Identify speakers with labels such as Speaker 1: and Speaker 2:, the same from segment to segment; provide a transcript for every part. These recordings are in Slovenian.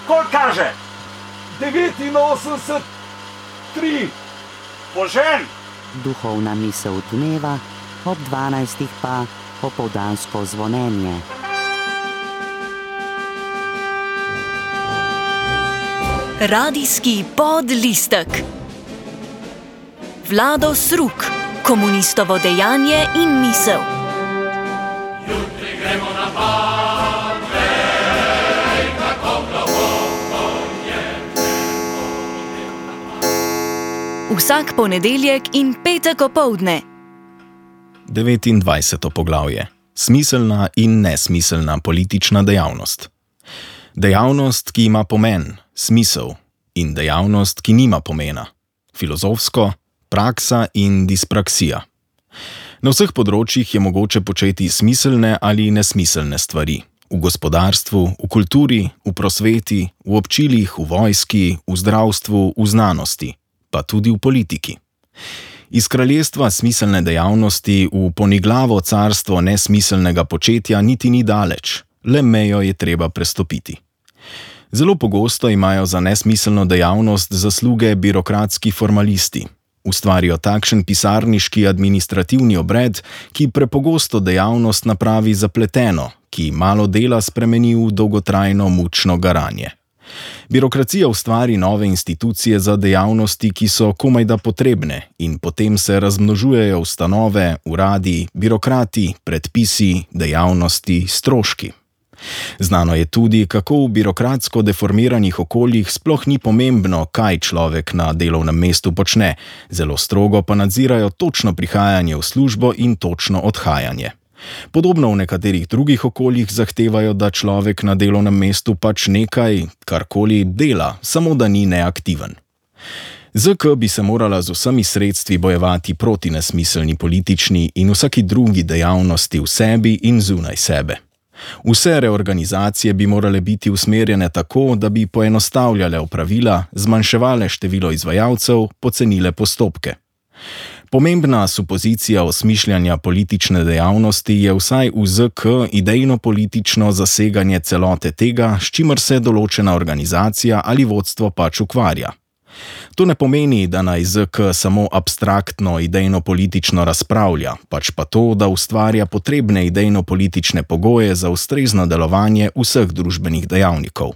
Speaker 1: Koliko kaže? 89, 3. Požen!
Speaker 2: Duhovna misel dneva, ob 12. pa popoldansko zvonjenje.
Speaker 3: Radijski podlistek. Vlado Sruk, komunistovo dejanje in misel.
Speaker 4: Jutri gremo na Badvej, kako globoko je nebo.
Speaker 3: Vsak ponedeljek in petek opoldne.
Speaker 5: 29. poglavje. Smiselna in nesmiselna politična dejavnost. Dejavnost, ki ima pomen, smisel, in dejavnost, ki nima pomena, filozofsko, praksa in dispraksija. Na vseh področjih je mogoče početi smiselne ali nesmiselne stvari. V gospodarstvu, v kulturi, v prosveti, v občilih, v vojski, v zdravstvu, v znanosti, pa tudi v politiki. Iz kraljestva smiselne dejavnosti v poniglavo carstvo nesmiselnega početja niti ni daleč, le mejo je treba prestopiti. Zelo pogosto imajo za nesmiselno dejavnost zasluge birokratski formalisti. Ustvarijo takšen pisarniški administrativni obred, ki prepogosto dejavnost napravi zapleteno, ki malo dela spremeni v dolgotrajno mučno garanje. Birokracija ustvari nove institucije za dejavnosti, ki so komajda potrebne, in potem se razmnožujejo ustanove, uradi, birokrati, predpisi, dejavnosti, stroški. Znano je tudi, kako v birokratsko deformiranih okoljih sploh ni pomembno, kaj človek na delovnem mestu počne, zelo strogo pa nadzirajo točno prihajanje v službo in točno odhajanje. Podobno v nekaterih drugih okoljih zahtevajo, da človek na delovnem mestu pač nekaj, karkoli dela, samo da ni neaktiven. ZK bi se morala z vsemi sredstvi bojevati proti nesmiselni politični in vsaki drugi dejavnosti v sebi in zunaj sebe. Vse reorganizacije bi morale biti usmerjene tako, da bi poenostavljale opravila, zmanjševale število izvajalcev, pocenile postopke. Pomembna supozicija osmišljanja politične dejavnosti je vsaj v ZK idejno-politično zaseganje celote tega, s čimer se določena organizacija ali vodstvo pač ukvarja. To ne pomeni, da naj ZK samo abstraktno idejno-politično razpravlja, pač pa to, da ustvarja potrebne idejno-politične pogoje za ustrezno delovanje vseh družbenih dejavnikov.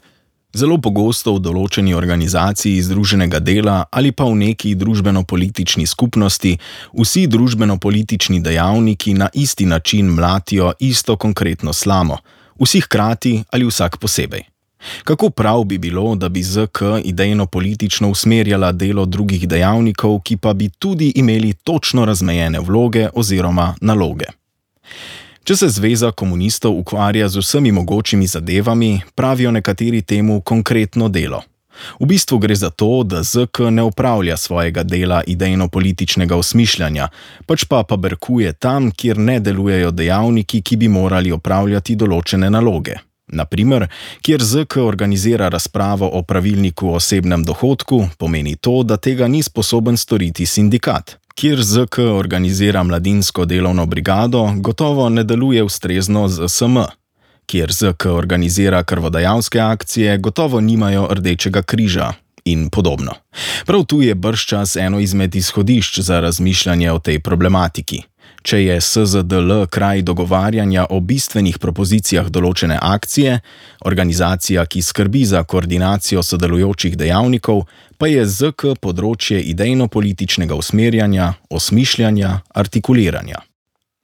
Speaker 5: Zelo pogosto v določeni organizaciji združenega dela ali pa v neki družbeno-politični skupnosti vsi družbeno-politični dejavniki na isti način mlatijo isto konkretno slamo, vsi hkrati ali vsak posebej. Kako prav bi bilo, da bi ZK idejno-politično usmerjala delo drugih dejavnikov, ki pa bi tudi imeli točno razmejene vloge oziroma naloge. Če se Zveza komunistov ukvarja z vsemi mogočimi zadevami, pravijo nekateri temu konkretno delo. V bistvu gre za to, da ZK ne opravlja svojega dela idejno-političnega osmišljanja, pač pa paberkuje tam, kjer ne delujejo dejavniki, ki bi morali opravljati določene naloge. Naprimer, kjer ZK organizira razpravo o pravilniku o osebnem dohodku, pomeni to, da tega ni sposoben storiti sindikat. Kjer ZK organizira mladinsko delovno brigado, gotovo ne deluje ustrezno z SM. Kjer ZK organizira krvodajalske akcije, gotovo nimajo Rdečega križa in podobno. Prav tu je bržčas eno izmed izhodišč za razmišljanje o tej problematiki. Če je SZDL kraj dogovarjanja o bistvenih propozicijah določene akcije, organizacija, ki skrbi za koordinacijo sodelujočih dejavnikov, pa je ZK področje idejno-političnega usmerjanja, osmišljanja, artikuliranja.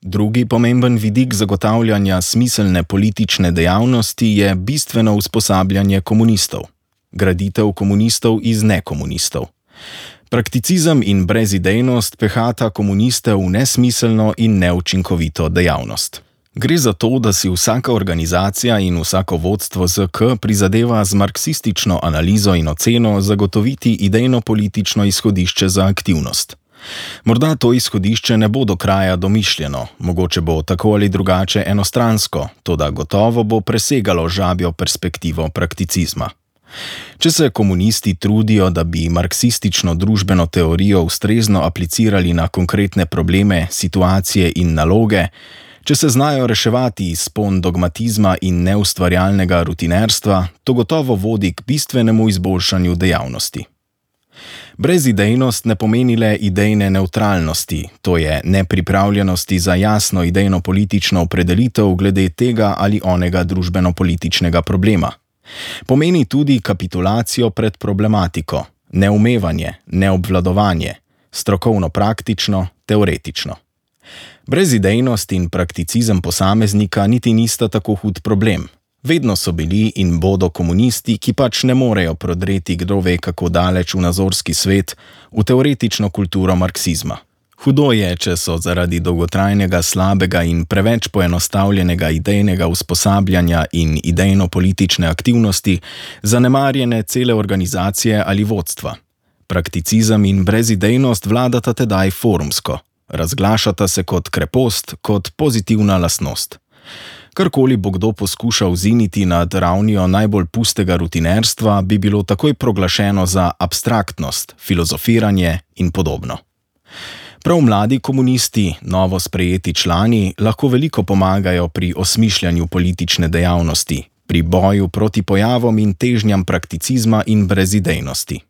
Speaker 5: Drugi pomemben vidik zagotavljanja smiselne politične dejavnosti je bistveno usposabljanje komunistov. Graditev komunistov iz nekomunistov. Prakticizem in brezidejnost pehata komuniste v nesmiselno in neučinkovito dejavnost. Gre za to, da si vsaka organizacija in vsako vodstvo ZK prizadeva z marksistično analizo in oceno zagotoviti idejno-politično izhodišče za aktivnost. Morda to izhodišče ne bo do kraja domišljeno, mogoče bo tako ali drugače enostransko, toda gotovo bo presegalo žabjo perspektivo prakticizma. Če se komunisti trudijo, da bi marksistično družbeno teorijo ustrezno aplicirali na konkretne probleme, situacije in naloge, Če se znajo reševati izpon dogmatizma in neustvarjalnega rutinerstva, to gotovo vodi k bistvenemu izboljšanju dejavnosti. Brezidejnost ne pomeni le idejne nevtralnosti, to je nepripravljenosti za jasno idejno-politično opredelitev glede tega ali onega družbeno-političnega problema. Pomeni tudi kapitulacijo pred problematiko, neumevanje, neobvladovanje, strokovno-praktično, teoretično. Brezidejnost in prakticizem posameznika niti nista tako hud problem. Vedno so bili in bodo komunisti, ki pač ne morejo prodreti kdo ve kako daleč v nazorski svet, v teoretično kulturo marksizma. Hudo je, če so zaradi dolgotrajnega, slabega in preveč poenostavljenega idejnega usposabljanja in idejno-politične aktivnosti zanemarjene cele organizacije ali vodstva. Prakticizem in brezidejnost vladata tedaj forumsko, razglašata se kot krepost, kot pozitivna lastnost. Karkoli bo kdo poskušal ziniti nad ravnijo najbolj pustega rutinerstva, bi bilo takoj proglašeno za abstraktnost, filozofiranje in podobno. Prav mladi komunisti, novo sprejeti člani, lahko veliko pomagajo pri osmišljanju politične dejavnosti, pri boju proti pojavom in težnjam prakticizma in brezidejnosti.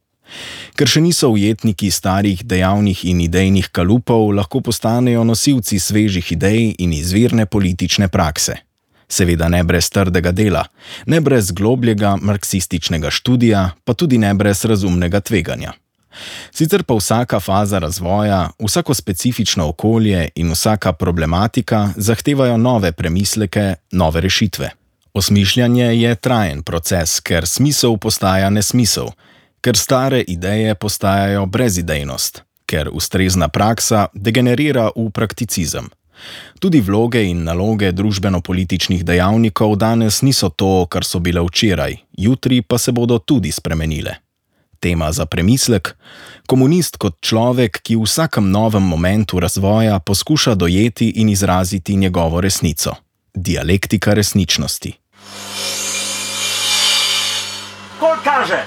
Speaker 5: Ker še niso ujetniki starih dejavnih in idejnih kalupov, lahko postanejo nosilci svežih idej in izvirne politične prakse. Seveda ne brez trdega dela, ne brez globljega marksističnega študija, pa tudi ne brez razumnega tveganja. Sicer pa vsaka faza razvoja, vsako specifično okolje in vsaka problematika zahtevajo nove premisleke, nove rešitve. Osmišljanje je trajen proces, ker smisel postaja nesmisel, ker stare ideje postajajo brezidejnost, ker ustrezna praksa degenerira v prakticizem. Tudi vloge in naloge družbeno-političnih dejavnikov danes niso to, kar so bile včeraj, jutri pa se bodo tudi spremenile. Tema za premislek: komunist kot človek, ki v vsakem novem momentu razvoja poskuša dojeti in izraziti njegovo resnico. Dialektika resničnosti.
Speaker 1: Koliko kaže?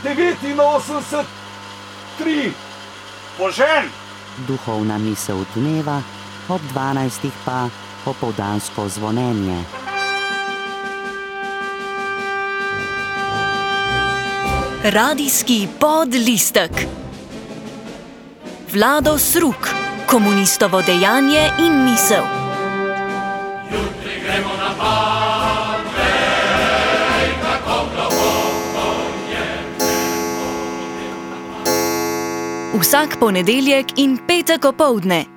Speaker 1: 89, 3. Požen!
Speaker 2: Duhovna misel dneva, ob 12. pa opoldansko zvonjenje.
Speaker 3: Radijski podlistek. Vlado Sruk, komunistovo dejanje in misel.
Speaker 4: Jutri gremo na pad, vej, kako globoko je.
Speaker 3: Vsak ponedeljek in petek opoldne